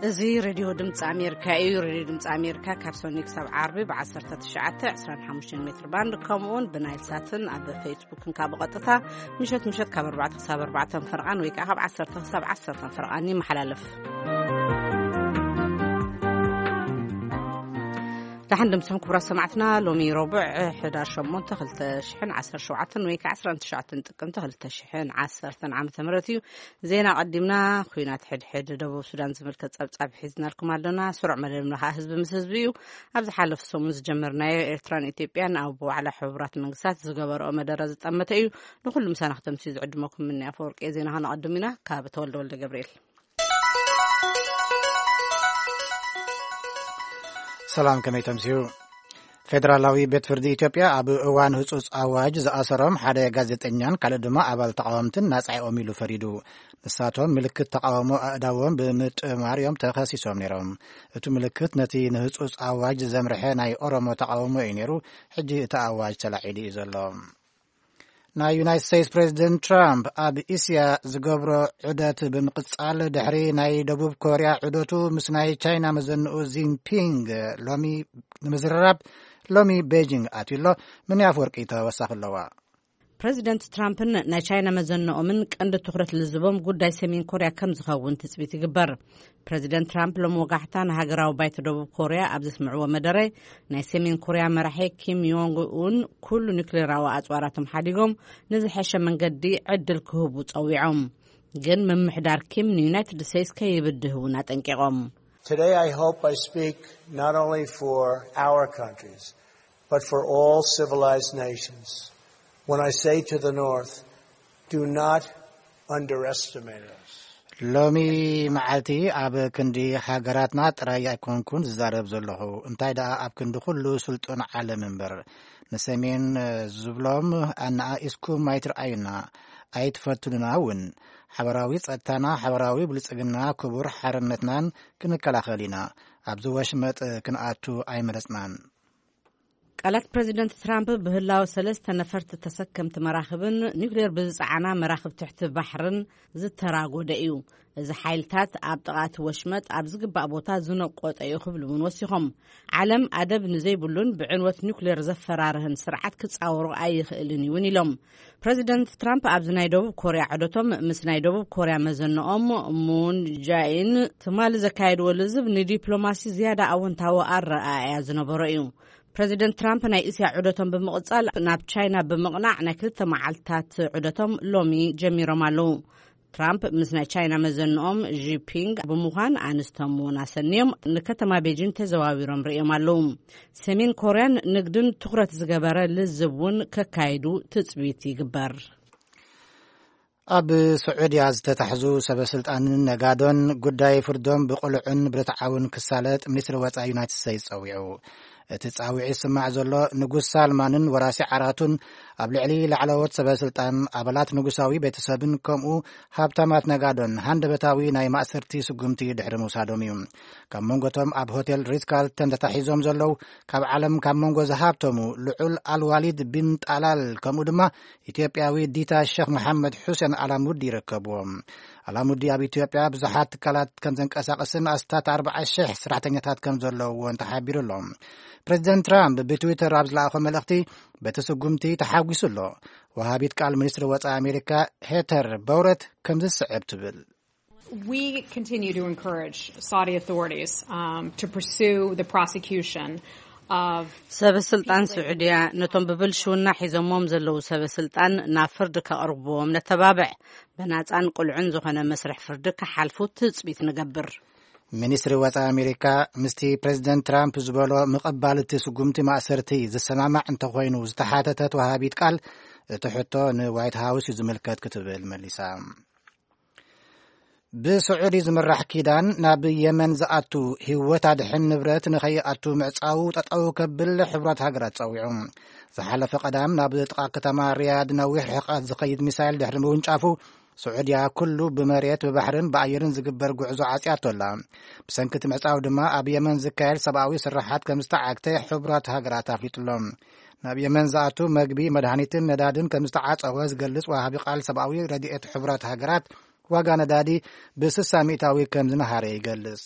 እዚ ሬድዮ ድምፂ ኣሜሪካ እዩ። ሬድዮ ድምፂ ኣሜሪካ ካብ ሰኑይ ክሳብ ዓርቢ ብ19፣ 25 ሜትር ባንድ፣ ከምኡውን ብናይል ሳትን ኣብ ፌስቡክን ካብ ብቐጥታ ምሸት ምሸት ካብ ኣርባዕተ ክሳብ ኣርባዕተ ፈርቓን ወይ ከዓ ካብ ዓሰርተ ክሳብ ዓሰርተ ፈርቓን ይመሓላለፍ። ደሓን ድምፅኹም ክቡራት ሰማዕትና፣ ሎሚ ረቡዕ ሕዳር ሸሞንተ፣ ክልተ ሽሕን ዓሰርተ ሸውዓተን ወይ ከዓ ዓሰርተ ትሽዓተ ጥቅምቲ ክልተ ሽሕን ዓሰርተን ዓመተ ምህረት እዩ። ዜና ቀዲምና። ኲናት ሕድሕድ ደቡብ ሱዳን ዝምልከት ጸብጻብ ሒዝናልኩም ኣለና። ስሩዕ መደብና ኸኣ ህዝቢ ምስ ህዝቢ እዩ። ኣብ ዝሓለፈ ሰሙን ዝጀመርናዮ ኤርትራን ኢትዮጵያን ኣብ ዋዕላ ሕቡራት መንግስታት ዝገበረኦ መደረ ዝጠመተ እዩ። ንኹሉ ምሳና ክተምስዩ ዝዕድመኩም ምኒ ኣፈወርቂ። ዜና ኸነቐድም ኢና ካብ ተወልደ ወልደ ገብርኤል። ሰላም፣ ከመይ ተምስዩ? ፌደራላዊ ቤት ፍርዲ ኢትዮጵያ ኣብ እዋን ህጹጽ ኣዋጅ ዝኣሰሮም ሓደ ጋዜጠኛን ካልእ ድማ ኣባል ተቃወምትን ናጻ እዮም ኢሉ ፈሪዱ። ንሳቶም ምልክት ተቃውሞ ኣእዳዎም ብምጥማር እዮም ተኸሲሶም ነይሮም። እቲ ምልክት ነቲ ንህጹጽ ኣዋጅ ዘምርሐ ናይ ኦሮሞ ተቃውሞ እዩ ነይሩ። ሕጂ እቲ ኣዋጅ ተላዒሉ እዩ ዘሎ። ናይ ዩናይትድ ስቴትስ ፕሬዚደንት ትራምፕ ኣብ እስያ ዝገብሮ ዑደት ብምቕጻል፣ ድሕሪ ናይ ደቡብ ኮርያ ዑደቱ ምስ ናይ ቻይና መዘንኡ ዚንፒንግ ሎሚ ንምዝርራብ ሎሚ ቤጂንግ ኣትዩ ኣሎ። ምን ኣፈወርቂ ተወሳኺ ኣለዋ። ፕሬዚደንት ትራምፕን ናይ ቻይና መዘንኦምን ቀንዲ ትኹረት ልዝቦም ጉዳይ ሰሜን ኮርያ ከም ዝኸውን ትጽቢት ይግበር። ፕሬዚደንት ትራምፕ ሎም ወጋሕታ ንሃገራዊ ባይቶ ደቡብ ኮርያ ኣብ ዘስምዕዎ መደረ፣ ናይ ሰሜን ኮርያ መራሒ ኪም ዮንግ ኡን ኩሉ ኒክሌራዊ ኣጽዋራቶም ሓዲጎም ንዝሐሸ መንገዲ ዕድል ክህቡ ጸዊዖም። ግን ምምሕዳር ኪም ንዩናይትድ ስቴትስ ከይብድህ እውን ኣጠንቂቖም። Today I hope I speak not only for our countries, but for all civilized nations. When I say to the North, do not underestimate us. ሎሚ መዓልቲ ኣብ ክንዲ ሃገራትና ጥራይ ኣይኮንኩን ዝዛረብ ዘለኹ፣ እንታይ ደኣ ኣብ ክንዲ ኩሉ ስልጡን ዓለም እምበር። ንሰሜን ዝብሎም ኣነኣኢስኩም ኣይትርኣዩና፣ ኣይትፈትኑና እውን። ሓበራዊ ጸጥታና፣ ሓበራዊ ብልጽግና፣ ክቡር ሓርነትናን ክንከላኸል ኢና። ኣብዚ ወሽመጥ ክንኣቱ ኣይመረጽናን። ቃላት ፕሬዚደንት ትራምፕ ብህላወ ሰለስተ ነፈርቲ ተሰከምቲ መራኽብን ኒውክሌር ብዝጸዓና መራኽብ ትሕቲ ባሕርን ዝተራጎደ እዩ። እዚ ሓይልታት ኣብ ጥቓ እቲ ወሽመጥ ኣብ ዝግባእ ቦታ ዝነቆጠ እዩ ክብሉ እውን ወሲኾም። ዓለም ኣደብ ንዘይብሉን ብዕንወት ኒውክሌር ዘፈራርህን ስርዓት ክጻወሮ ኣይኽእልን እውን ኢሎም። ፕሬዚደንት ትራምፕ ኣብዚ ናይ ደቡብ ኮርያ ዑደቶም ምስ ናይ ደቡብ ኮርያ መዘንኦም ሙን ጃኢን ትማሊ ዘካየድዎ ልዝብ ንዲፕሎማሲ ዝያዳ ኣወንታዊ ኣረኣእያ ዝነበሮ እዩ። ፕሬዚደንት ትራምፕ ናይ እስያ ዑደቶም ብምቕጻል ናብ ቻይና ብምቕናዕ ናይ ክልተ መዓልትታት ዑደቶም ሎሚ ጀሚሮም ኣለዉ። ትራምፕ ምስ ናይ ቻይና መዘንኦም ዢፒንግ ብምዃን ኣንስቶም እውን ኣሰንዮም ንከተማ ቤጂን ተዘዋዊሮም ርእዮም ኣለዉ። ሰሜን ኮርያን ንግድን ትኹረት ዝገበረ ልዝብ እውን ከካይዱ ትጽቢት ይግበር። ኣብ ስዑድያ ዝተታሕዙ ሰበ ስልጣንን ነጋዶን ጉዳይ ፍርዶም ብቕሉዕን ብርትዓውን ክሳለጥ ሚኒስትሪ ወጻኢ ዩናይትድ ስቴትስ ጸዊዑ። እቲ ጻውዒት ዝስማዕ ዘሎ ንጉስ ሳልማንን ወራሲ ዓራቱን ኣብ ልዕሊ ላዕለዎት ሰበ ስልጣን፣ ኣባላት ንጉሳዊ ቤተሰብን ከምኡ ሃብታማት ነጋዶን ሃንደበታዊ ናይ ማእሰርቲ ስጉምቲ ድሕሪ ምውሳዶም እዩ። ካብ መንጎቶም ኣብ ሆቴል ሪትስ ካርልተን ተታሒዞም ዘለዉ ካብ ዓለም ካብ መንጎ ዝሃብተሙ ልዑል ኣልዋሊድ ቢን ጣላል ከምኡ ድማ ኢትዮጵያዊ ዲታ ሸኽ መሓመድ ሑሴን ኣላሙዲ ይርከብዎም። ኣላሙዲ ኣብ ኢትዮጵያ ብዙሓት ትካላት ከም ዘንቀሳቕስን ኣስታት ኣርባዓ ሽሕ ሰራሕተኛታት ከም ዘለውዎን ተሓቢሩ ኣሎ። ፕሬዚደንት ትራምፕ ብትዊተር ኣብ ዝለኣኾ መልእኽቲ በቲ ስጉምቲ ተሓጒሱ ኣሎ። ወሃቢት ቃል ሚኒስትሪ ወጻኢ ኣሜሪካ ሄተር በውረት ከምዚ ዝስዕብ ትብል። We continue to encourage Saudi authorities, um, to pursue the prosecution of ሰበ ስልጣን ስዑድያ ነቶም ብብልሽውና ሒዞሞም ዘለዉ ሰበ ስልጣን ናብ ፍርዲ ከቕርብዎም ነተባብዕ። ብናጻን ቅሉዕን ዝኾነ መስርሕ ፍርዲ ክሓልፉ ትጽቢት ንገብር። ሚኒስትሪ ወጻኢ ኣሜሪካ ምስቲ ፕሬዚደንት ትራምፕ ዝበሎ ምቕባል እቲ ስጉምቲ ማእሰርቲ ዝሰማማዕ እንተኾይኑ ዝተሓተተት ወሃቢት ቃል፣ እቲ ሕቶ ንዋይት ሃውስ እዩ ዝምልከት ክትብል መሊሳ። ብስዑዲ ዝምራሕ ኪዳን ናብ የመን ዝኣቱ ህይወት ኣድሕን ንብረት ንኸይኣቱ ምዕጻው ጠጠው ከብል ሕቡራት ሃገራት ጸዊዑ። ዝሓለፈ ቀዳም ናብ ጥቓ ከተማ ሪያድ ነዊሕ ርሕቀት ዝኸይድ ሚሳይል ድሕሪ ምውንጫፉ፣ ስዑድያ ኩሉ ብመሬት ብባሕርን ብኣየርን ዝግበር ጉዕዞ ዓጽያቶ ኣላ። ብሰንኪ እቲ ምዕጻው ድማ ኣብ የመን ዝካየድ ሰብኣዊ ስራሓት ከም ዝተዓግተ ሕቡራት ሃገራት ኣፍሊጡ ኣሎ። ናብ የመን ዝኣቱ መግቢ፣ መድሃኒትን ነዳድን ከም ዝተዓጸወ ዝገልጽ ወሃቢ ቃል ሰብኣዊ ረድኤት ሕቡራት ሃገራት፣ ዋጋ ነዳዲ ብ60 ሚእታዊ ከም ዝነሃረ ይገልጽ።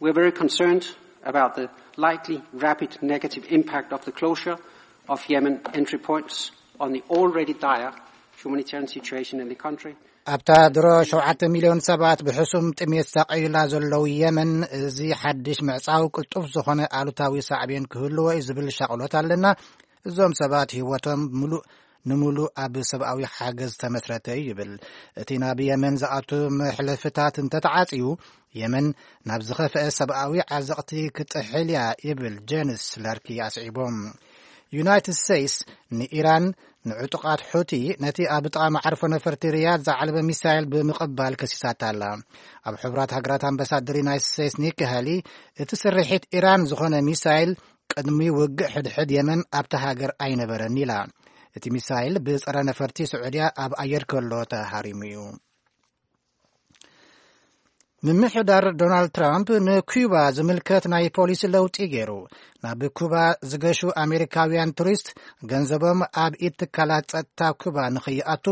We're very concerned about the likely rapid negative impact of the closure of Yemen entry points on the already dire humanitarian situation in the country. ኣብታ ድሮ ሸውዓተ ሚልዮን ሰባት ብሕሱም ጥሜት ሳቀዩላ ዘለዉ የመን፣ እዚ ሓድሽ ምዕጻው ቅልጡፍ ዝኾነ ኣሉታዊ ሳዕቤን ክህልዎ እዩ ዝብል ሻቕሎት ኣለና። እዞም ሰባት ህይወቶም ምሉእ ንምሉእ ኣብ ሰብኣዊ ሓገዝ ዝተመስረተ እዩ ይብል። እቲ ናብ የመን ዝኣቱ መሕለፍታት እንተተዓጽዩ፣ የመን ናብ ዝኸፍአ ሰብኣዊ ዓዘቕቲ ክትጥሕል እያ ይብል ጀንስ ለርኪ ኣስዒቦም። ዩናይትድ ስቴትስ ንኢራን ንዕጡቓት ሑቲ ነቲ ኣብ ጥቓ መዓርፎ ነፈርቲ ሪያድ ዝዓለበ ሚሳይል ብምቕባል ከሲሳታ ኣላ። ኣብ ሕቡራት ሃገራት ኣምባሳደር ዩናይትድ ስቴትስ ኒኪ ሃሊ፣ እቲ ስርሒት ኢራን ዝኾነ ሚሳይል ቅድሚ ውግእ ሕድሕድ የመን ኣብታ ሃገር ኣይነበረን ኢላ። እቲ ሚሳይል ብጸረ ነፈርቲ ስዑድያ ኣብ ኣየር ከሎ ተሃሪሙ እዩ። ምምሕዳር ዶናልድ ትራምፕ ንኩባ ዝምልከት ናይ ፖሊሲ ለውጢ ገይሩ። ናብ ኩባ ዝገሹ ኣሜሪካውያን ቱሪስት ገንዘቦም ኣብ ኢድ ትካላት ጸጥታ ኩባ ንኸይኣቱ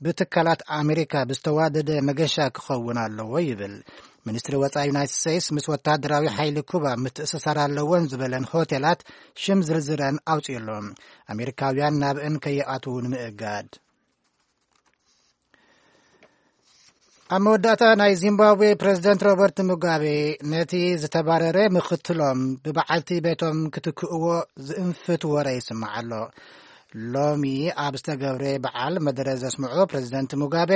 ብትካላት ኣሜሪካ ብዝተዋደደ መገሻ ክኸውን ኣለዎ ይብል። ሚኒስትሪ ወጻኢ ዩናይትድ ስቴትስ ምስ ወታደራዊ ሓይሊ ኩባ ምትእስሳር ኣለወን ዝበለን ሆቴላት ሽም ዝርዝረን ኣውፅእሎም። ኣሜሪካውያን ናብእን ከይኣትዉ ንምእጋድ። ኣብ መወዳእታ ናይ ዚምባብዌ ፕሬዝደንት ሮበርት ሙጋቤ ነቲ ዝተባረረ ምኽትሎም ብበዓልቲ ቤቶም ክትክእዎ ዝእንፍት ወረ ይስማዕ ኣሎ። ሎሚ ኣብ ዝተገብረ በዓል መደረ ዘስምዑ ፕሬዝደንት ሙጋቤ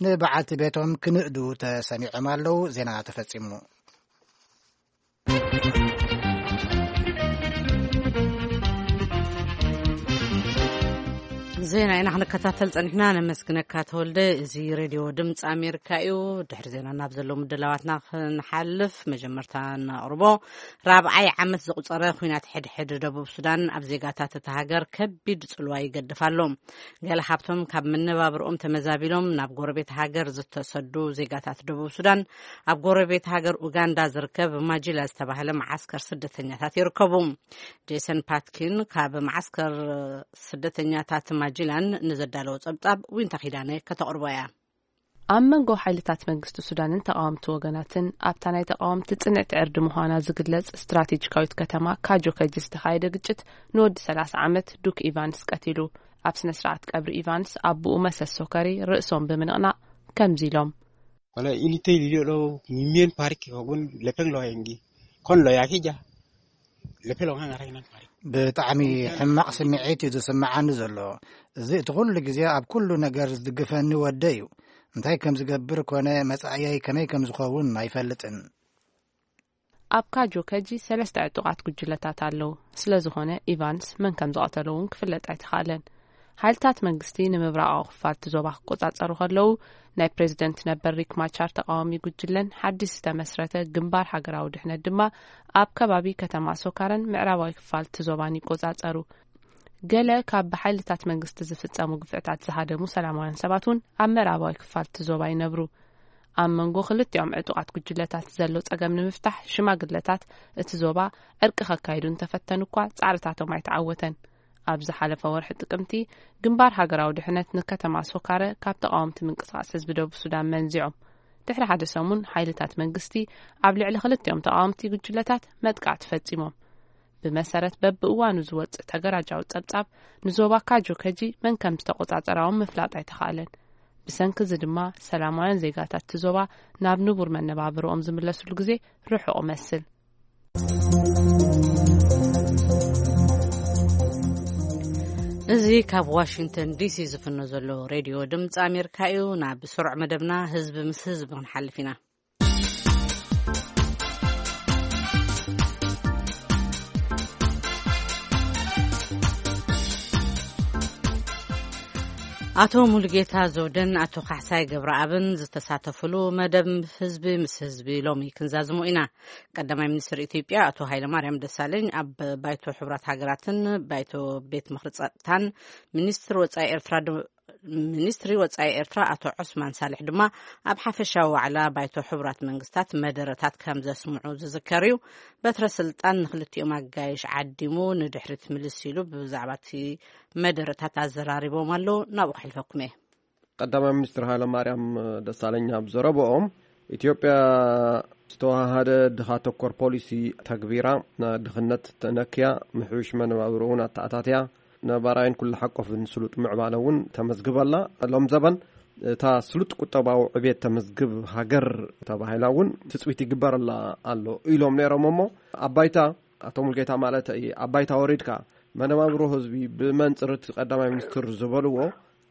ንበዓልቲ ቤቶም ክንእዱ ተሰሚዖም ኣለዉ። ዜና ተፈጺሙ። ዜና ኢና ክንከታተል ጸኒሕና። ነመስግነካ ተወልደ። እዚ ሬድዮ ድምፂ ኣሜሪካ እዩ። ድሕሪ ዜና ናብ ዘለዉ ምድላዋትና ክንሓልፍ፣ መጀመርታ ነቕርቦ። ራብዓይ ዓመት ዘቑጸረ ኲናት ሕድሕድ ደቡብ ሱዳን ኣብ ዜጋታት እታ ሃገር ከቢድ ጽልዋ ይገድፍ ኣሎ። ገለ ካብቶም ካብ መነባብርኦም ተመዛቢሎም ናብ ጎረቤት ሃገር ዝተሰዱ ዜጋታት ደቡብ ሱዳን፣ ኣብ ጎረቤት ሃገር ኡጋንዳ ዝርከብ ማጂላ ዝተባህለ መዓስከር ስደተኛታት ይርከቡ። ጄሰን ፓትኪን ካብ መዓስከር ስደተኛታት ማጂላን ንዘዳለዎ ጸብጻብ ዊንታ ኪዳነ ከተቕርቦ እያ። ኣብ መንጎ ሓይልታት መንግስቲ ሱዳንን ተቓወምቲ ወገናትን ኣብታ ናይ ተቓወምቲ ጽንዕቲ ዕርዲ ምዃና ዝግለጽ ስትራቴጂካዊት ከተማ ካጆ ከጂ ዝተኻየደ ግጭት ንወዲ ሰላሳ ዓመት ዱክ ኢቫንስ ቀቲሉ። ኣብ ስነ ስርዓት ቀብሪ ኢቫንስ ኣቦኡ መሰስ ሶከሪ ርእሶም ብምንቕናቕ ከምዚ ኢሎም። Wala ini tey liyo lo mimien parik ko gun lepeng lo yengi. Kon lo yaki ja. Lepeng lo ngang arai nan parik. ብጣዕሚ ሕማቕ ስምዒት እዩ ዝስምዓኒ ዘሎ። እዚ እቲ ኩሉ ግዜ ኣብ ኩሉ ነገር ዝድግፈኒ ወደይ እዩ። እንታይ ከም ዝገብር ኮነ መጻእየይ ከመይ ከም ዝኸውን ኣይፈልጥን። ኣብ ካጆ ከጂ ሰለስተ ዕጡቓት ጉጅለታት ኣለዉ። ስለ ዝኾነ ኢቫንስ መን ከም ዝቐተሎ እውን ክፍለጥ ኣይተኻእለን። ሓይልታት መንግስቲ ንምብራቓዊ ክፋል እቲ ዞባ ክቆጻጸሩ ከለዉ፣ ናይ ፕሬዝደንት ነበር ሪክ ማቻር ተቓዋሚ ጉጅለን ሓድሽ ዝተመስረተ ግንባር ሃገራዊ ድሕነት ድማ ኣብ ከባቢ ከተማ ሶካረን ምዕራባዊ ክፋል እቲ ዞባን ይቆጻጸሩ። ገለ ካብ ብሓይልታት መንግስቲ ዝፍጸሙ ግፍዕታት ዝሃደሙ ሰላማውያን ሰባት እውን ኣብ ምዕራባዊ ክፋል እቲ ዞባ ይነብሩ። ኣብ መንጎ ክልቲኦም ዕጡቓት ጉጅለታት ዘሎ ጸገም ንምፍታሕ ሽማግለታት እቲ ዞባ ዕርቂ ከካይዱ እንተፈተኑ እኳ ጻዕርታቶም ኣይተዓወተን። ኣብ ዝሓለፈ ወርሒ ጥቅምቲ ግንባር ሃገራዊ ድሕነት ንከተማ ሶካረ ካብ ተቓወምቲ ምንቅስቓስ ህዝቢ ደቡብ ሱዳን መንዚዖም። ድሕሪ ሓደ ሰሙን ሓይልታት መንግስቲ ኣብ ልዕሊ ክልቲኦም ተቓወምቲ ጉጅለታት መጥቃዕቲ ፈጺሞም። ብመሰረት በብእዋኑ ዝወጽእ ተገራጃዊ ጸብጻብ ንዞባ ካጆ ከጂ መን ከም ዝተቆጻጸራዎም ምፍላጥ ኣይተኻእለን። ብሰንኪ እዚ ድማ ሰላማውያን ዜጋታት እቲ ዞባ ናብ ንቡር መነባብርኦም ዝምለስሉ ግዜ ርሑቕ እመስል። እዚ ካብ ዋሽንግተን ዲሲ ዝፍኖ ዘሎ ሬድዮ ድምፂ ኣሜሪካ እዩ። ናብ ስሩዕ መደብና ህዝቢ ምስ ህዝቢ ክንሓልፍ ኢና። ኣቶ ሙሉጌታ ዘውደን ኣቶ ካሕሳይ ገብረኣብን ዝተሳተፉሉ መደብ ህዝቢ ምስ ህዝቢ ሎሚ ክንዛዝሞ ኢና። ቀዳማይ ሚኒስትር ኢትዮጵያ ኣቶ ሃይለማርያም ደሳለኝ ኣብ ባይቶ ሕቡራት ሃገራትን ባይቶ ቤት ምኽሪ ጸጥታን ሚኒስትር ወጻኢ ኤርትራ ዶ-፣ ሚኒስትሪ ወጻኢ ኤርትራ ኣቶ ዑስማን ሳልሕ ድማ ኣብ ሓፈሻዊ ዋዕላ ባይቶ ሕቡራት መንግስታት መደረታት ከም ዘስምዑ ዝዝከር እዩ። በትረ ስልጣን ንክልቲኦም ኣጋይሽ ዓዲሙ ንድሕሪት ምልስ ኢሉ ብዛዕባ እቲ መደረታት ኣዘራሪቦም ኣለዉ። ናብኡ ከሕልፈኩም እየ። ቀዳማይ ሚኒስትር ሃይለማርያም ደሳለኝ ኣብ ዘረብኦም፣ ኢትዮጵያ ዝተዋሃደ ድኻ ተኮር ፖሊሲ ተግቢራ፣ ድኽነት ተነክያ፣ ምሕውሽ መነባብሮ እውን ኣተኣታትያ፣ ነባራይን ኩሉ ሓቆፍን ስሉጥ ምዕባለ እውን ተመዝግበላ። ሎም ዘበን እታ ስሉጥ ቁጠባዊ ዕቤት ተመዝግብ ሃገር ተባሂላ እውን ትፅቢት ይግበረላ ኣሎ ኢሎም ነይሮም። እሞ ኣባይታ፣ ኣቶ ሙልጌታ ማለት እዩ፣ ኣባይታ ወሪድካ መነባብሮ ህዝቢ ብመንፅር እቲ ቀዳማይ ሚኒስትር ዝበልዎ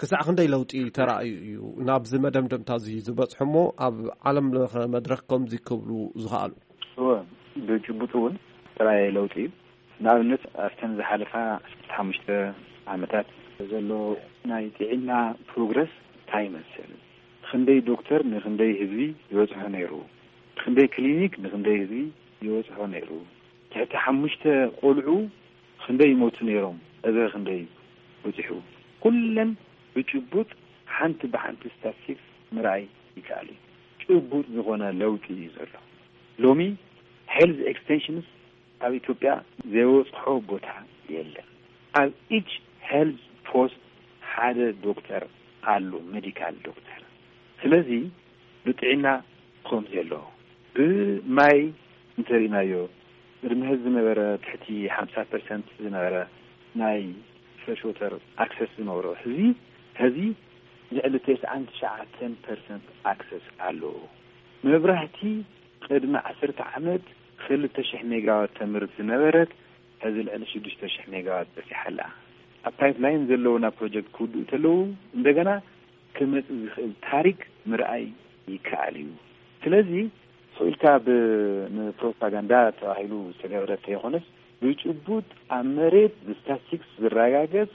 ክሳዕ ክንደይ ለውጢ ተራእዩ እዩ ናብዚ መደምደምታ እዚ ዝበፅሑ እሞ ኣብ ዓለም ለኸ መድረክ ከምዚ ክብሉ ዝኸኣሉ? እወ፣ ብጭቡጥ እውን ተራእየ ለውጢ እዩ። ንኣብነት ኣብተን ዝሓለፋ ዓሰርተ ሓሙሽተ ዓመታት ዘሎ ናይ ጥዕና ፕሮግረስ እንታይ ይመስል? ክንደይ ዶክተር ንክንደይ ህዝቢ ይበፅሖ ነይሩ? ክንደይ ክሊኒክ ንክንደይ ህዝቢ ይበፅሖ ነይሩ? ትሕቲ ሓሙሽተ ቆልዑ ክንደይ ይሞቱ ነይሮም? እበ ክንደይ በፂሑ? ኩለን ብጭቡጥ ሓንቲ ብሓንቲ ስታትስቲክስ ምርኣይ ይከኣል እዩ። ጭቡጥ ዝኾነ ለውጢ እዩ ዘሎ። ሎሚ ሄልዝ ኤክስቴንሽንስ ኣብ ኢትዮጵያ ዘይበፅሖ ቦታ የለን። ኣብ ኢች ሄልዝ ፖስት ሓደ ዶክተር ኣሎ፣ ሜዲካል ዶክተር። ስለዚ ብጥዕና ከምዚ ኣሎ። ብማይ እንተሪእናዮ፣ ቅድሚ ሕዚ ዝነበረ ትሕቲ ሓምሳ ፐርሰንት ዝነበረ ናይ ፍረሽ ወተር ኣክሰስ ዝነበሮ፣ ሕዚ፣ ሕዚ ልዕሊ ተስዓን ትሽዓተን ፐርሰንት ኣክሰስ ኣለዎ። መብራህቲ ቅድሚ ዓሰርተ ዓመት ክልተ ሽሕ ሜጋዋት ተምርት ዝነበረት፣ ሕዚ ልዕሊ ሽዱሽተ ሽሕ ሜጋዋት በፂሓ ኣላ። ኣብ ፓይፕላይን ዘለውና ፕሮጀክት ክውድኡ እንተለዉ፣ እንደገና ክመጽእ ዝኽእል ታሪክ ምርኣይ ይከኣል እዩ። ስለዚ ስቕ ኢልካ ብ-፣ ንፕሮፓጋንዳ ተባሂሉ ዝተገብረ እንተይኮነስ፣ ብጭቡጥ ኣብ መሬት ብስታትስቲክስ ዝረጋገጽ፣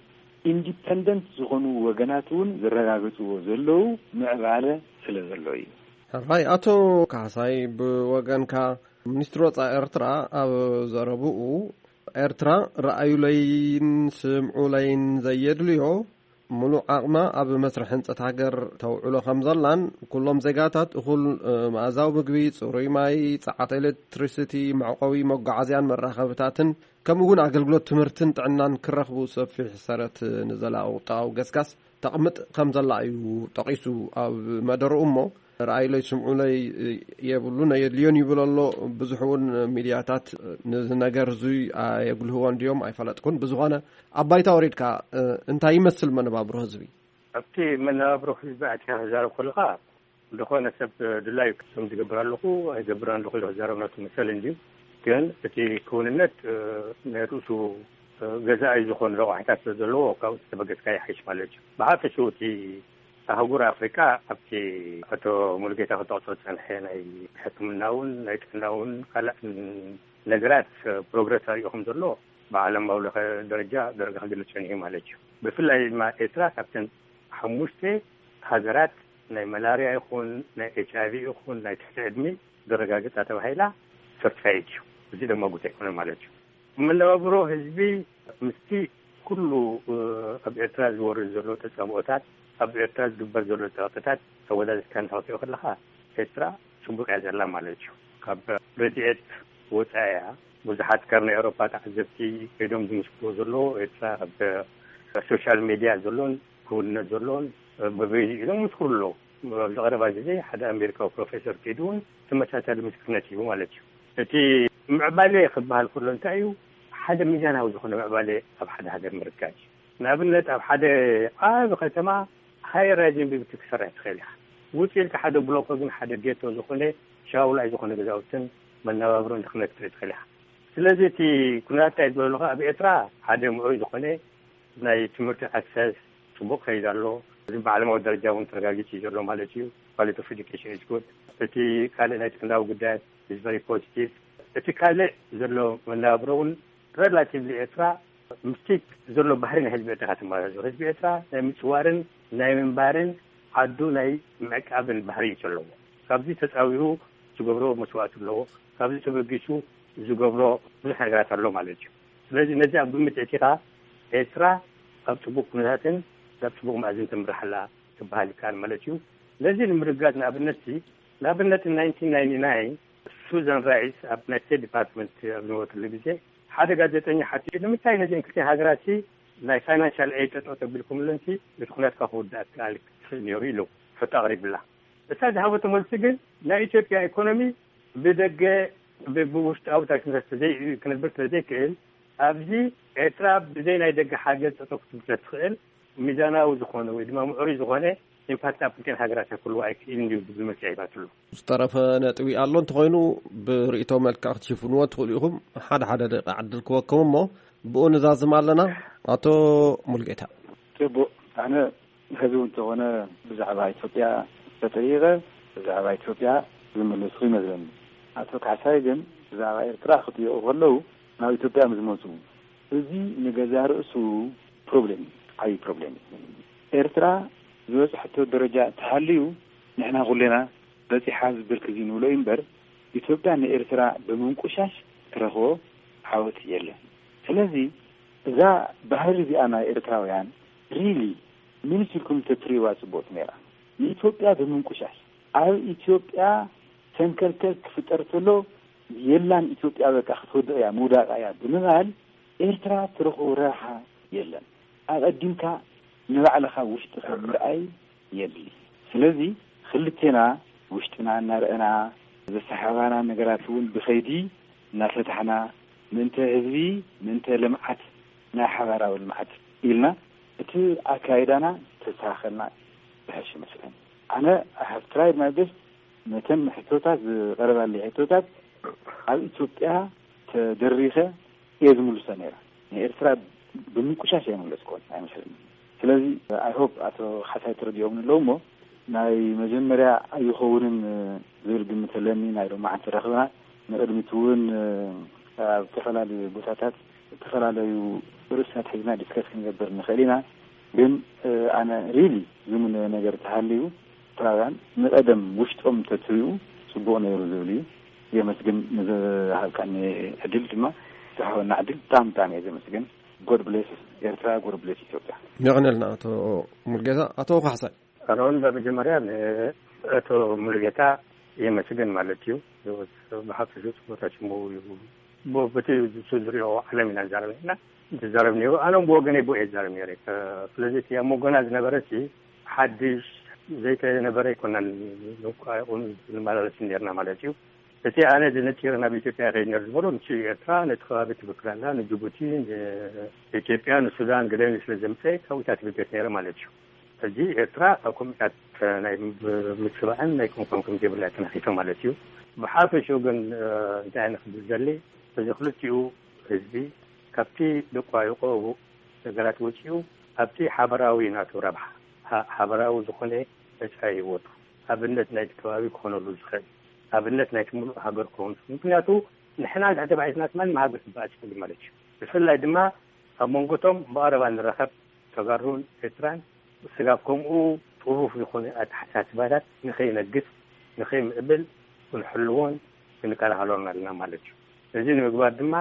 ኢንዲፐንደንት ዝኾኑ ወገናት እውን ዝረጋገጽዎ ዘለዉ ምዕባለ ስለ ዘሎ እዩ። ሕራይ ኣቶ ካሕሳይ፣ ብወገንካ፣ ሚኒስትሪ ወጻኢ ኤርትራ ኣብ ዘረብኡ፣ ኤርትራ ረኣዩለይን ስምዑለይን ዘየድልዮ፣ ምሉእ ዓቕማ ኣብ መስርሕ ህንጸት ሃገር ተውዕሎ ከም ዘላን፣ ኩሎም ዜጋታት እኹል፣ እ፣ መኣዛዊ ምግቢ፣ ጽሩይ ማይ፣ ጸዓት ኤሌክትሪሲቲ፣ መዕቆቢ መጓዓዝያን መራኸብታትን፣ ከምኡ እውን ኣገልግሎት ትምህርትን ጥዕናን ክረኽቡ ሰፊሕ ሰረት ንዘላቒ ቁጠባዊ ገስጋስ ተቕምጥ ከም ዘላ እዩ ጠቒሱ ኣብ መደርኡ። እሞ ረኣዩለይ ስምዑለይ የብሉን፣ ኣየድልዮን ይብል ኣሎ። ብዙሕ እውን ሚድያታት ነዚ ነገር እዙይ ኣየጉልህዎን ድዮም ኣይፈለጥኩን። ብዝኾነ ኣብ ባይታ ወሪድካ፣ እ፣ እንታይ ይመስል መነባብሮ ህዝቢ? ኣብቲ መነባብሮ ህዝቢ ኣትካ ክዛረብ ከለኻ፣ ዝኾነ ሰብ ድላዩ ከም ዝገብር ኣለኹ ኣይገብርን ኣለኹ ኢሉ ክዛረብ ናቱ መሰል እንድዩ። ግን እቲ ክውንነት፣ እ፣ ናይ ርእሱ፣ እ፣ ገዛኢ ዝኾኑ ረቋሕታት ስለ ዘለዎ ካብኡ ተበገስካ ይሓይሽ ማለት እዩ። ብሓፈሽኡ እቲ ኣህጉር ኣፍሪቃ ኣብቲ ኣቶ ሙሉጌታ ክጠቕሶ ዝጸንሐ ናይ ሕክምናውን ናይ ጥዕናውን ካልእን ነገራት ፕሮግረስ ኣሪኦ ከም ዘሎ ብዓለማዊ ለኸ ደረጃ ደረጃ ክግለጽ ጸኒሑ ማለት እዩ። ብፍላይ ድማ ኤርትራ ካብተን ሓሙሽተ ሃገራት ናይ መላርያ ይኹን ናይ ኤች ኣይ ቪ ይኹን ናይ ትሕቲ ዕድሚ ዘረጋግጻ ተባሂላ ሰርቲፋይድ እዩ። እዚ ድማ ጉዳይ ኣይኮነን ማለት እዩ። መነባብሮ ህዝቢ ምስቲ ኩሉ፣ እ፣ ኣብ ኤርትራ ዝወርድ ዘሎ ተጻብኦታት፣ ኣብ ኤርትራ ዝግበር ዘሎ ጸቕጥታት ኣወዳዲርካ እንተኽትዮ ከለኻ፣ ኤርትራ ጽቡቕ እያ ዘላ ማለት እዩ። ካብ ረድኤት ወጻኢ እያ። ብዙሓት ካብ ናይ ኤውሮፓ ተዓዘብቲ ከይዶም ዝምስክርዎ ዘለዉ፣ ኤርትራ ኣብ ሶሻል ሜድያ ዘሎን ክውንነት ዘሎን፣ እ፣ በበይኑ ኢሎም ይምስክሩ ኣለዉ። ኣብዚ ቀረባ ግዜ ሓደ ኣሜሪካዊ ፕሮፌሰር ከይዱ እውን ተመሳሳሊ ምስክርነት ሂቡ ማለት እዩ። እቲ ምዕባለ ክበሃል ከሎ እንታይ እዩ? ሓደ ሚዛናዊ ዝኾነ ምዕባለ ኣብ ሓደ ሃገር ምርካብ እዩ። ንኣብነት፣ ኣብ ሓደ ዓቢ ከተማ ሃይ ራይዝ ቢልዲንግ ክትሰርሕ ትኽእል ኢኻ። ውጽእ ኢልካ ሓደ ብሎኮ ግን ሓደ ጌቶ ዝኾነ ሻውላይ ዝኾነ ገዛውትን መነባብሮን ድኽነት ክትርኢ ትኽእል ኢኻ። ስለዚ እቲ ኩነታት እንታይ ዝበለኻ፣ ኣብ ኤርትራ ሓደ ምዕሩይ ዝኾነ ናይ ትምህርቲ ኣክሰስ ጽቡቕ ከይድ ኣሎ። እዚ ብዓለማዊ ደረጃ እውን ተረጋጊጹ እዩ ዘሎ ማለት እዩ። ኳሊቲ ኦፍ ኤዱኬሽን ኢዝ ጉድ። እቲ ካልእ ናይ ጥዕናዊ ጉዳያት ኢዝ ቨሪ ፖዚቲቭ። እቲ ካልእ ዘሎ መነባብሮ እውን ሬላቲቭሊ ኤርትራ ምስቲ ዘሎ ባህሪ ናይ ህዝቢ ኤርትራ ትመሳሰል። ህዝቢ ኤርትራ ናይ ምጽዋርን ናይ ምንባርን ዓዱ ናይ ምዕቃብን ባህሪ እዩ ዘለዎ። ካብዚ ተጻዊሩ ዝገብሮ መስዋእቲ ኣለዎ። ካብዚ ተበጊሱ ዝገብሮ ብዙሕ ነገራት ኣሎ ማለት እዩ። ስለዚ ነዚ ኣብ ግምት ኣእቲኻ ኤርትራ ኣብ ጽቡቕ ኩነታትን ናብ ጽቡቕ መኣዝን ትምራሕ ኣላ ክበሃል ይከኣል ማለት እዩ። ነዚ ንምርጋጽ ንኣብነት፣ ንኣብነት ናይንቲን ናይንቲ ናይን ሱዛን ራይስ ኣብ ናይ ስቴት ዲፓርትመንት ኣብ ዝነበረትሉ ግዜ ሓደ ጋዜጠኛ ሓቲቱ፣ "ንምንታይ ነዚን ክልቲን ሃገራት ሲ ናይ ፋይናንሻል ኤድ ጠጠው ተቢልኩምለንሲ እቲ ኩነትካ ክውዳእ ክኣል ክኽእል ነይሩ?" ኢሉ ሕቶ ኣቕሪብላ። እሳ ዝሃበቶ መልሲ ግን ናይ ኢትዮጵያ ኢኮኖሚ ብደገ ብ- ብውሽጣዊ ታክሲታት ተዘይ ክነብር ስለ ዘይክእል፣ ኣብዚ ኤርትራ ብዘይ ናይ ደገ ሓገዝ ጠጠው ክትብል ስለ ትኽእል፣ ሚዛናዊ ዝኾነ ወይ ድማ ምዕሩይ ዝኾነ ኢምፓክት ኣብ ክልቲኣን ሃገራት ክህልዎ ኣይክእልን እዩ ዝብል መልሲ ሂባትሉ። ዝተረፈ ነጥቢ ኣሎ እንተኾይኑ፣ ብርእይቶ መልክዕ ክትሽፍንዎ ትኽእሉ ኢኹም። ሓደ ሓደ ደቂቃ ዕድል ክወኩም እሞ፣ ብኡ ንዛዝም ኣለና። ኣቶ ሙልጌታ። ጽቡቕ። ኣነ ሕዚ እውን እንተኾነ ብዛዕባ ኢትዮጵያ ተጠይቐ፣ ብዛዕባ ኢትዮጵያ ዝምልስኹ ይመስለኒ። ኣቶ ካሕሳይ ግን ብዛዕባ ኤርትራ ክጥይቑ ከለዉ ናብ ኢትዮጵያ ምስ መፁ፣ እዚ ንገዛ ርእሱ ፕሮብሌም እዩ፣ ዓብዪ ፕሮብሌም እዩ። ኤርትራ ዝበፅሐቶ ደረጃ ተሃልዩ ንሕና ኩሌና በፂሓ ዝበርክ እዚ ንብሎ እዩ እምበር፣ ኢትዮጵያ ንኤርትራ ብምንቁሻሽ ትረኽቦ ዓወት የለን። ስለዚ እዛ ባህሪ እዚኣ ናይ ኤርትራውያን ሪሊ ምን ሲልኩም ተትሪዋ ጽቡቅ ነራ። ንኢትዮጵያ ብምንቁሻሽ፣ ኣብ ኢትዮጵያ ሰንከልከል ክፍጠር ተሎ፣ የላን ኢትዮጵያ በቃ ክትወድቕ እያ ምውዳቃ እያ ብምባል ኤርትራ ትረኽቦ ረብሓ የለን። ኣቐዲምካ ንባዕልኻ ውሽጥኻ ምርኣይ የድሊ። ስለዚ ክልቴና ውሽጥና እናረእና ዘሰሓባና ነገራት እውን ብኸይዲ እናፈታሕና ምእንተ ህዝቢ፣ ምእንተ ልምዓት፣ ናይ ሓባራዊ ልምዓት ኢልና እቲ ኣካይዳና ተስተኻኸልና ዝሕሽ ይመስለኒ። ኣነ I have tried my best፣ ነተን ሕቶታት ዝቐረባለይ ሕቶታት ኣብ ኢትዮጵያ ተደሪኸ እየ ዝምልሶ ነይረ። ንኤርትራ ብምቁሻሽ ኣይመለስኩዎን ኣይመስለኒ። ስለዚ I hope ኣቶ ካሕሳይ ተረዲኦም ኣለዉ እሞ ናይ መጀመርያ ኣይኸውንን ዝብል ግምት ኣለኒ። ናይ ሎማዓንቲ ረኽብና ንቕድሚት እውን ኣብ ዝተፈላለዩ ቦታታት ዝተፈላለዩ ርእስታት ሒዝና ዲስከስ ክንገብር ንኽእል ኢና። ግን ኣነ ሪሊ ዝምነ ነገር ተሃልዩ ኤርትራውያን ንቐደም ውሽጦም ተትሪኡ ጽቡቕ ነይሩ ዝብል እዩ። የመስግን ንዝሃብካኒ ዕድል ድማ ዝሃበና ዕድል ብጣዕሚ ብጣዕሚ እየ ዘመስግን። God bless ኤርትራ፣ God bless ኢትዮጵያ። የቐነልና ኣቶ ሙልጌታ። ኣቶ ካሕሳይ። ኣነ እውን በመጀመርያ ንኣቶ ሙሉጌታ የመስግን ማለት እዩ። ብሓፈሹ ጽቡቕ ተሽሙ እዩ። ብ- በቲ ዝሪኦ ዓለም ኢና ንዛረብ ኢና ንዛረብ ነይሩ። ኣነ እውን ብወገነይ ብኡ እየ ዝዛረብ ነይረ። ስለዚ እቲ ኣብ መንጎና ዝነበረ እቲ ሓድሽ ዘይተነበረ ኣይኮናን ንቋየቑን ንመላለስ ነርና ማለት እዩ። እቲ ኣነ ዝነጢረ ናብ ኢትዮጵያ ከይድ ነር ዝበሎ ንሱ ኤርትራ ነቲ ከባቢ ትብክል ኣላ፣ ንጅቡቲ፣ ንኢትዮጵያ፣ ንሱዳን ገለ ስለ ዘምፀ ካብኡታት ትብገት ነይረ ማለት እዩ። ሕጂ ኤርትራ ኣብ ከምኡታት ናይ ምጽባዕን ናይ ኮንኮን ከም ዘይብላ ተነኺፈ ማለት እዩ። ብሓፈሽኡ ግን እንታይ ንክብል ዘሊ እዚ ክልቲኡ ህዝቢ ካብቲ ደቋይቆ ነገራት ወፂኡ ኣብቲ ሓበራዊ ናቱ ረብሓ ሓበራዊ ዝኾነ መፃኢ ህይወቱ ኣብነት ናይቲ ከባቢ ክኾነሉ ዝኽእል ኣብነት ናይቲ ምሉእ ሃገር ክኸውን ምክንያቱ ንሕና እንድሕር ተባዒትና ትማን ሃገር ትበኣል ትኽእል ማለት እዩ። ብፍላይ ድማ ኣብ መንጎቶም ብቐረባ ንራኸብ ተጋሩን ኤርትራን ስጋብ ከምኡ ጥሩፍ ዝኾነ ኣተሓሳስባታት ንኸይነግስ ንኸይምዕብል ክንሕልዎን ክንከላኸሎን ኣለና ማለት እዩ። እዚ ንምግባር ድማ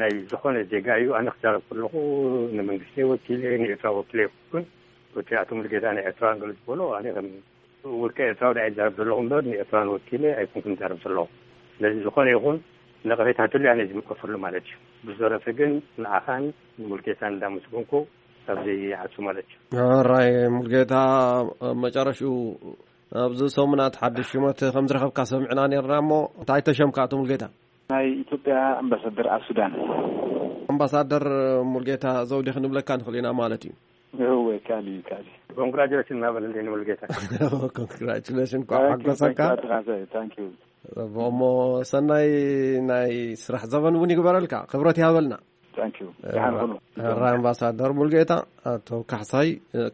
ናይ ዝኾነ ዜጋ እዩ። ኣነ ክዛረብ ከለኹ ንመንግስቲ ወኪለ ንኤርትራ ወኪለ ይኩን እቲ ኣቶ ሙሉጌታ ናይ ኤርትራን ገለ ዝበሎ ኣነ ከም ውልቀ ኤርትራዊ ዳ ይዛረብ ዘለኹ እምበር ንኤርትራን ወኪለ ኣይኩንኩን ዛረብ ዘለኹ። ስለዚ ዝኾነ ይኹን ነቐፌታ ትሉ ኣነ ዝምቀፈሉ ማለት እዩ። ብዝተረፈ ግን ንዓኻን ንሙልጌታን እንዳመስገንኩ ካብዚ ይዓሱ ማለት እዩ። ራይ ሙልጌታ መጨረሽኡ ኣብዚ ሰሙናት ሓድሽ ሽመት ከም ዝረኸብካ ሰሚዕና ነርና እሞ እንታይ ተሸምካ ኣቶ ሙልጌታ? ናይ ኢትዮጵያ ኣምባሳደር ኣብ ሱዳን። ኣምባሳደር ሙልጌታ ዘውዴ ክንብለካ ንኽእል ኢና ማለት እዩ። እወ ካሊ ካሊ። ኮንግራጁሌሽን እናበለለይ ንሙልጌታ። ኮንግራጁሌሽን እንኳዕ ሓጎሰካ። እሞ ሰናይ ናይ ስራሕ ዘበን እውን ይግበረልካ። ክብረት ይሃበልና። ራይ ኣምባሳደር ሙልጌታ ኣቶ ካሕሳይ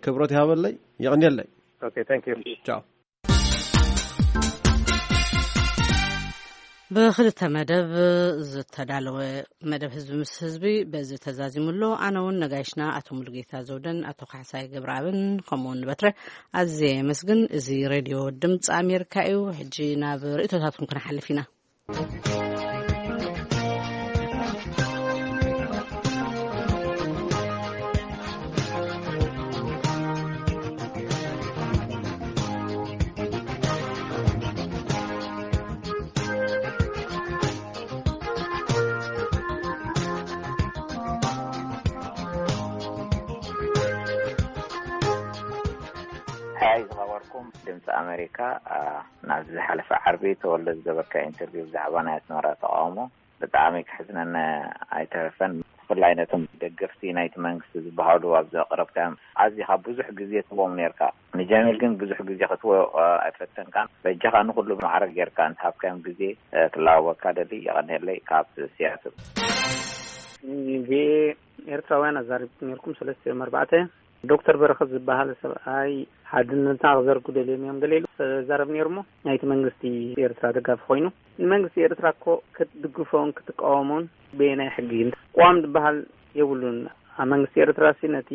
ክብረት ይሃበለይ። የቕንየለይ። ቻው። ብክልተ መደብ ዝተዳለወ መደብ ህዝቢ ምስ ህዝቢ በዚ ተዛዚሙ ኣሎ። ኣነ እውን ነጋይሽና ኣቶ ሙሉጌታ ዘውደን ኣቶ ካሕሳይ ገብረኣብን ከምኡ እውን ንበትረ ኣዝየ የመስግን። እዚ ሬድዮ ድምፂ ኣሜሪካ እዩ። ሕጂ ናብ ርእቶታትኩም ክንሓልፍ ኢና። ኩም ድምፂ ኣሜሪካ፣ ኣ፣ ናብዚ ዝሓለፈ ዓርቢ ተወልደ ዝገበርካ ኢንተርቪው ብዛዕባ ናይ ኣስመራ ተቃውሞ ብጣዕሚ ክሕዝነና ኣይተረፈን። ብፍላይ ነቶም ደገፍቲ ናይቲ መንግስቲ ዝበሃሉ ኣብዚ ኣቅረብካዮም ኣዚኻ ብዙሕ ግዜ ትቦም ነርካ። ንጀሚል ግን ብዙሕ ግዜ ክትቦ፣ ኣ፣ ኣይፈተንካን። በጃኻ ንኩሉ ማዕረ ጌርካ እንተሃብካዮም ግዜ፣ እ፣ ክላወካ ደሊ። የቐንየለይ ካብ ሲያትል። ቪኦኤ ኤርትራውያን ኣዛሪብኩም ነርኩም ሰለስተ እዮም ኣርባዕተ። ዶክተር በረኸት ዝበሃል ሰብኣይ ሓድነትና ክዘርጉ ደልዮም እዮም ገለ ኢሉ ዛረብ ነይሩ እሞ ናይቲ መንግስቲ ኤርትራ ደጋፊ ኮይኑ፣ ንመንግስቲ ኤርትራ እኮ ክትድግፎን ክትቃወሞን በየናይ ሕጊ? ቅዋም ዝበሃል የብሉን። ኣብ መንግስቲ ኤርትራ ሲ ነቲ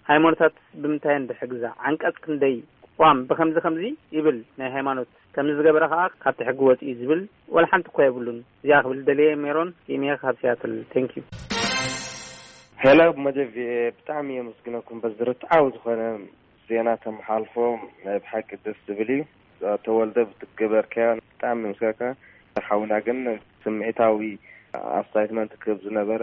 ሃይማኖታት ብምንታይ እንድሕግዛ? ዓንቀጽ ክንደይ? ቅዋም ብኸምዚ ከምዚ ይብል፣ ናይ ሃይማኖት ከምዚ ዝገበረ ከኣ ካብቲ ሕጊ ወጽኡ ዝብል ዋላ ሓንቲ እኳ የብሉን። እዚኣ ክብል ደልየ። ሜሮን ኪምየ ካብ ሲያትል። Thank you። ሄሎ፣ መደብ ቪኦኤ ብጣዕሚ የመስግነኩም። በዚ ርትዓዊ ዝኾነ ዜና ተመሓልፎ ናይ ብሓቂ ደስ ዝብል እዩ። ተወልደ ብትገበርካዮ ብጣዕሚ ምስጋካ ሓውና፣ ግን ስምዒታዊ ኣስታይትመንት ክህብ ዝነበረ፣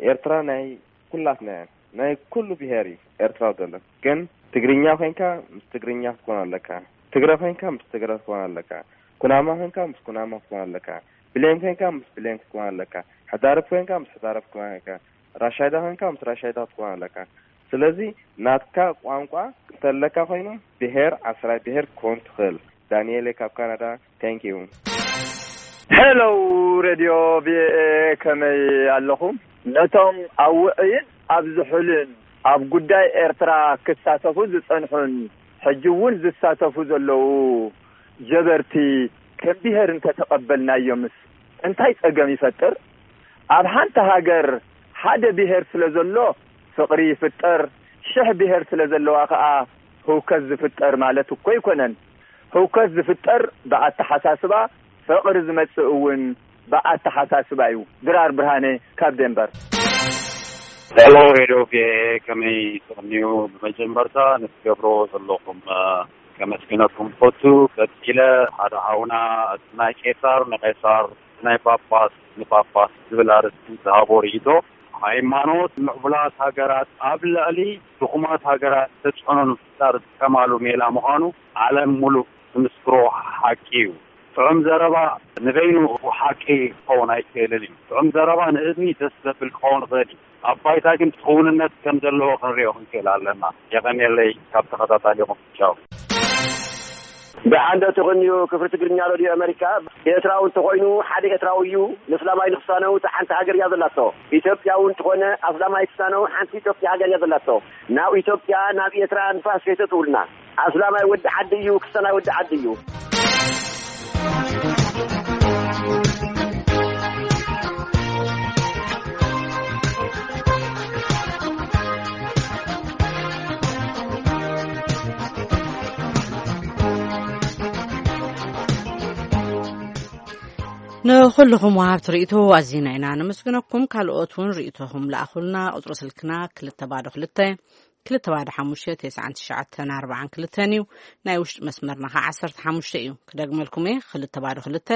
ኤርትራ ናይ ኩላትና እያ። ናይ ኩሉ ብሄር እዩ ኤርትራዊ ዘሎ። ግን ትግርኛ ኮይንካ ምስ ትግርኛ ክትኮን ኣለካ። ትግረ ኮይንካ ምስ ትግረ ክትኮን ኣለካ። ኩናማ ኮይንካ ምስ ኩናማ ክትኮን ኣለካ። ብሌን ኮይንካ ምስ ብሌን ክትኮን ኣለካ። ሕዳርብ ኮይንካ ምስ ሕዳርብ ክትኮን ኣለካ። ራሻይዳ ኮይንካ ምስ ራሻይዳ ክትኮን ኣለካ። ስለዚ ናትካ ቋንቋ እንተለካ ኮይኑ ብሄር ዓስራይ ብሄር ክትኮን ትኽእል። ዳንኤል ካብ ካናዳ። Thank you። ሄሎ ሬድዮ ቪኦኤ፣ ከመይ ኣለኹም? ነቶም ኣብ ውዕይን ኣብ ዝሑልን ኣብ ጉዳይ ኤርትራ ክሳተፉ ዝጸንሑን ሕጂ እውን ዝሳተፉ ዘለዉ ጀበርቲ ከም ብሄር እንተተቐበልናዮምስ እንታይ ጸገም ይፈጥር? ኣብ ሓንቲ ሃገር ሓደ ብሄር ስለ ዘሎ ፍቕሪ ይፍጠር፣ ሽሕ ብሄር ስለ ዘለዋ ከኣ ህውከት ዝፍጠር ማለት እኮ ኣይኮነን። ህውከት ዝፍጠር ብኣተሓሳስባ፣ ፍቕሪ ዝመጽእ እውን ብኣተሓሳስባ እዩ። ድራር ብርሃነ ካብ ዴንቨር። ሄሎ ሬድዮ ቪኦኤ፣ ከመይ ትቕንዩ? ብመጀመርታ ንትገብርዎ ዘለኹም፣ እ፣ ከመስግነኩም ፈቱ። ቀጺለ ሓደ ሓውና፣ እቲ ናይ ቄሳር ንቄሳር፣ ናይ ጳጳስ ንጳጳስ ዝብል ኣርእስቲ ዝሃቦ ርእይቶ፣ ሃይማኖት ምዕቡላት ሃገራት ኣብ ልዕሊ ድኹማት ሃገራት ተጽዕኖ ንምፍጣር ዝጥቀማሉ ሜላ ምዃኑ ዓለም ሙሉእ ዝምስክሮ ሓቂ እዩ። ጥዑም ዘረባ ንበይኑ ሓቂ ክኸውን ኣይክእልን እዩ። ጥዑም ዘረባ ንእዝኒ ደስ ዘብል ክኸውን ይኽእል እዩ። ኣብ ባይታ ግን ክውንነት ከም ዘለዎ ክንሪኦ ክንክእል ኣለና። የቐንየለይ ካብ ተኸታታሊኹም። ቻው። ደሓን ዶ ትቕንዩ? ክፍሊ ትግርኛ ሬድዮ ኣሜሪካ። ኤርትራዊ እንተኾይኑ ሓደ ኤርትራዊ እዩ። ንእስላማይ ንክሳነው እታ ሓንቲ ሃገር እያ ዘላቶ። ኢትዮጵያዊ እንተኾነ ኣስላማይ ክሳነው ሓንቲ ኢትዮጵያ ሃገር እያ ዘላቶ። ናብ ኢትዮጵያ፣ ናብ ኤርትራ ንፋስ ከይተእትውልና። ኣስላማይ ወዲ ዓዲ እዩ፣ ክሳናይ ወዲ ዓዲ እዩ። ንኹልኹም ወሃብቲ ርእይቶ ኣዚና ኢና ነመስግነኩም። ካልኦት እውን ርእይቶኹም ለኣኹልና። ቁጽሪ ስልክና ክልተ ባዶ ክልተ፣ ክልተ ባዶ ሓሙሽተ፣ ተስዓን ትሽዓተን ኣርባዓን ክልተን እዩ። ናይ ውሽጢ መስመርና ኸዓ ዓሰርተ ሓሙሽተ እዩ። ክደግመልኩም እየ፣ ክልተ ባዶ ክልተ፣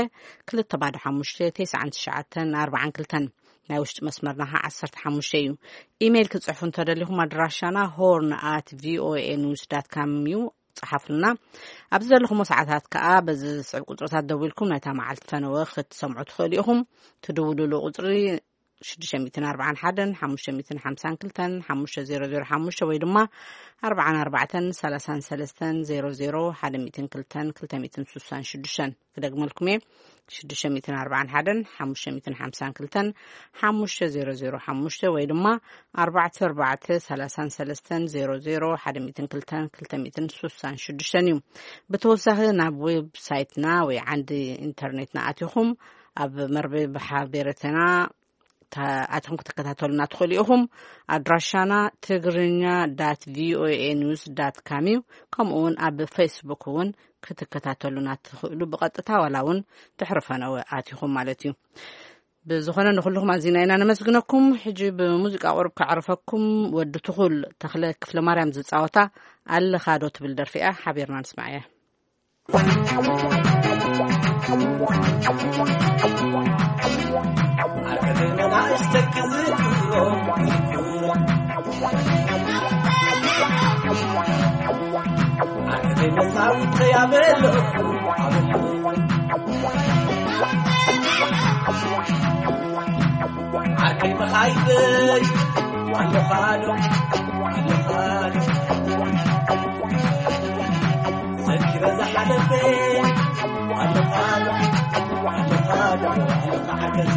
ክልተ ባዶ ሓሙሽተ፣ ተስዓን ትሽዓተን ኣርባዓን ክልተን። ናይ ውሽጢ መስመርና ኸዓ ዓሰርተ ሓሙሽተ እዩ። ኢሜይል ክትጽሕፉ እንተደሊኹም ኣድራሻና ሆርን ኣት ቪኦኤ ኒውስ ዳት ካም እዩ። ጸሓፉልና። ኣብዚ ዘለኹሞ ሰዓታት ከኣ በዚ ዝስዕብ ቁጽርታት ደዊልኩም ናይታ መዓልቲ ፈነወ ክትሰምዑ ትኽእሉ ኢኹም። ትድውሉሉ ቁጽሪ ሽዱሽተ ሚእትን ኣርባዓን ሓደን ሓሙሽተ ሚእትን ሓምሳን ክልተን ሓሙሽተ ዜሮ ዜሮ ሓሙሽተ ወይ ድማ ኣርባዓን ኣርባዕተን ሰላሳን ሰለስተን ዜሮ ዜሮ ሓደ ሚእትን ክልተን ክልተ ሚእትን ስሳን ሽዱሽተን። ክደግመልኩም እየ። ሽዱሽተ ሚእትን ኣርባዓን ሓደን ሓሙሽተ ሚእትን ሓምሳን ክልተን ሓሙሽተ ዜሮ ዜሮ ሓሙሽተ ወይ ድማ ኣርባዕተ ኣርባዕተ ሰላሳን ሰለስተን ዜሮ ዜሮ ሓደ ሚእትን ክልተን ክልተ ሚእትን ስሳን ሽዱሽተን እዩ። ብተወሳኺ ናብ ዌብሳይትና ወይ ዓንዲ ኢንተርኔትና ኣቲኹም ኣብ መርበብ ሓቤረተና ታ-፣ ኣቲኹም ክትከታተሉና ትኽእሉ ኢኹም። ኣድራሻና ትግርኛ ዳት ቪኦኤ ኒውስ ዳት ካም እዩ። ከምኡ እውን ኣብ ፌስቡክ እውን ክትከታተሉና ትኽእሉ ብቐጥታ ዋላ እውን ድሕሪ ፈነወ ኣቲኹም ማለት እዩ። ብዝኾነ ንኹልኹም ኣዚና ኢና ነመስግነኩም። ሕጂ ብሙዚቃ ቁሩብ ከዕርፈኩም። ወዲ ትኹል ተኽለ ክፍለ ማርያም ዝጻወታ ኣለኻ ዶ ትብል ደርፊ እያ። ሓቢርና ንስማዓያ። ዓርከይ መጻውተይ ኣበለኹ፣ ኣበለኹ። ዓርከይ መኻይበይ ኣለኻ ዶ፣ ኣለኻ ዶ። ዘኪረ ዝሓለፈ ኣለኻ ዶ፣ ኣለኻ ዶ፣ ኣለኻ ዓርከይ።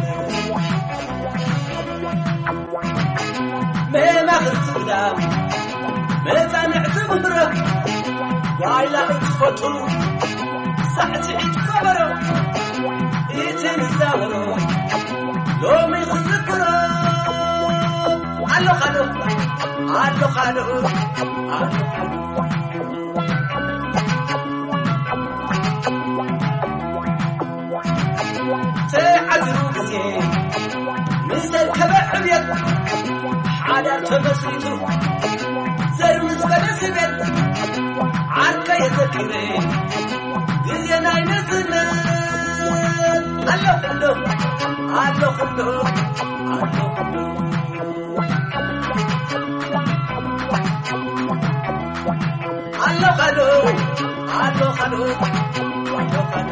መማኽርቲ ግዳም፣ መጻንዕቲ መድረኽ፣ ጓይላ እትፈቱ፣ ሳዕስዒት ከበሮ፣ እቲ ንዛወሮ፣ ሎሚ ክዝክሮ፣ ኣለኻ ዶ፣ ኣለኻ ዶ፣ ኣለኻ ዶ። ተዓዚሩ ግዜ ምስ ኣርከበ ዕብየት፣ ሓዳር ተመስሪቱ ዘር ምስ በለ ስቤት፣ ዓርከ የዘኪረ ግዜ ናይ ንእስነት። ኣለኹ ዶ፣ ኣለኹ ዶ፣ ኣለኹ ዶ። ኣለኻ ዶ፣ ኣለኻ ዶ፣ ኣለኻ ዶ።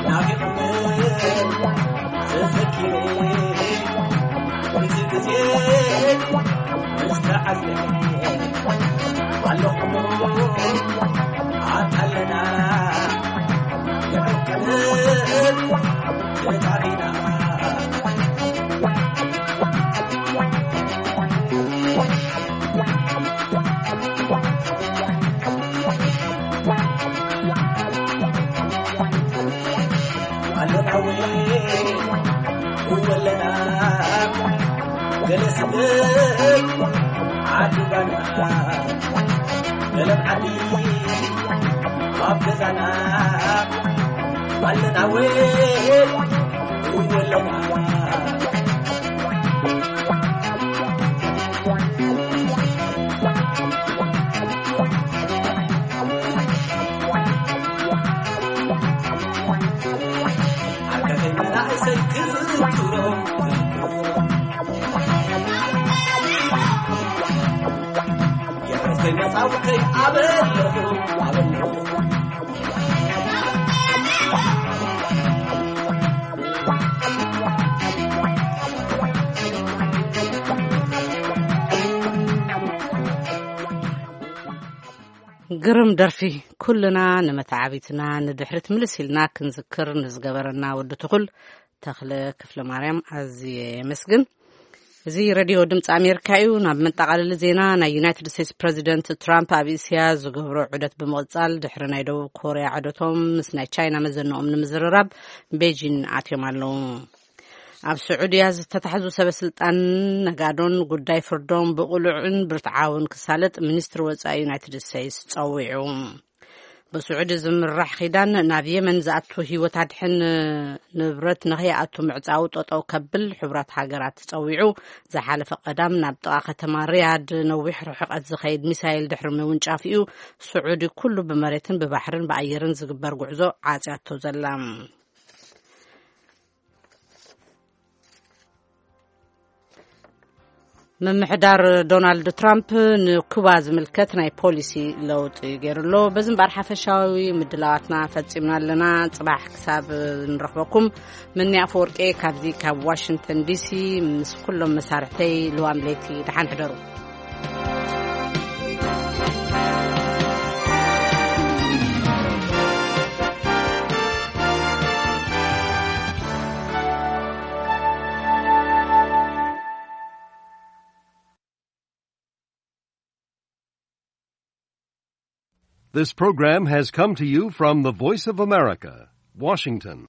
ናፊቕኒ ተዘኪረ፣ እዚ ግዜ ምስ ተዓዘበ፣ ኣለኹ ኣታለና፣ ንዕቀትን ተጣቢና። ኣለናዊ እወለና ገለ ስደት ዓዲ ባና ገለም ዓዲ ኣብ ገዛና ኣለናዊ እወለና። ዓርከይ መናእሰይ ክዝክሮ፣ የዕርከይ መጻውተይ ኣበለኹ፣ ኣበለኹ። ግርም ደርፊ። ኩልና ንመተዓቢትና ንድሕሪት ምልስ ኢልና ክንዝክር ንዝገበረና ወዲ ትኹል ተኽለ ክፍለ ማርያም ኣዝየ የመስግን። እዚ ሬድዮ ድምፂ ኣሜሪካ እዩ። ናብ መጠቓለሊ ዜና፣ ናይ ዩናይትድ ስቴትስ ፕረዚደንት ትራምፕ ኣብ እስያ ዝገብሮ ዑደት ብምቕጻል፣ ድሕሪ ናይ ደቡብ ኮርያ ዑደቶም ምስ ናይ ቻይና መዘንኦም ንምዝርራብ ቤጂን ኣትዮም ኣለዉ። ኣብ ስዑድያ ዝተታሕዙ ሰበ ስልጣን ነጋዶን ጉዳይ ፍርዶም ብቕሉዕን ብርትዓውን ክሳለጥ ሚኒስትሪ ወጻኢ ዩናይትድ ስቴትስ ጸዊዑ። ብስዑዲ ዝምራሕ ኺዳን ናብ የመን ዝኣቱ ህይወት ኣድሕን ንብረት ንኸይኣቱ ምዕጻው ጠጠው ከብል ሕቡራት ሃገራት ጸዊዑ። ዝሓለፈ ቀዳም ናብ ጥቓ ከተማ ሪያድ ነዊሕ ርሕቀት ዝኸይድ ሚሳይል ድሕሪ ምውንጫፍ'ዩ ስዑዲ ኩሉ ብመሬትን ብባሕርን ብኣየርን ዝግበር ጉዕዞ ዓጽያቶ ዘላ። ምምሕዳር ዶናልድ ትራምፕ ንኩባ ዝምልከት ናይ ፖሊሲ ለውጢ ገይሩ ኣሎ። በዚ እምበኣር ሓፈሻዊ ምድላዋትና ፈጺምና ኣለና። ጽባሕ ክሳብ ንረኽበኩም፣ ምኒ ኣፈወርቄ ካብዚ ካብ ዋሽንግተን ዲሲ ምስ ኩሎም መሳርሕተይ ልዋም ለይቲ ደሓን ሕደሩ። This program has come to you from the Voice of America, Washington.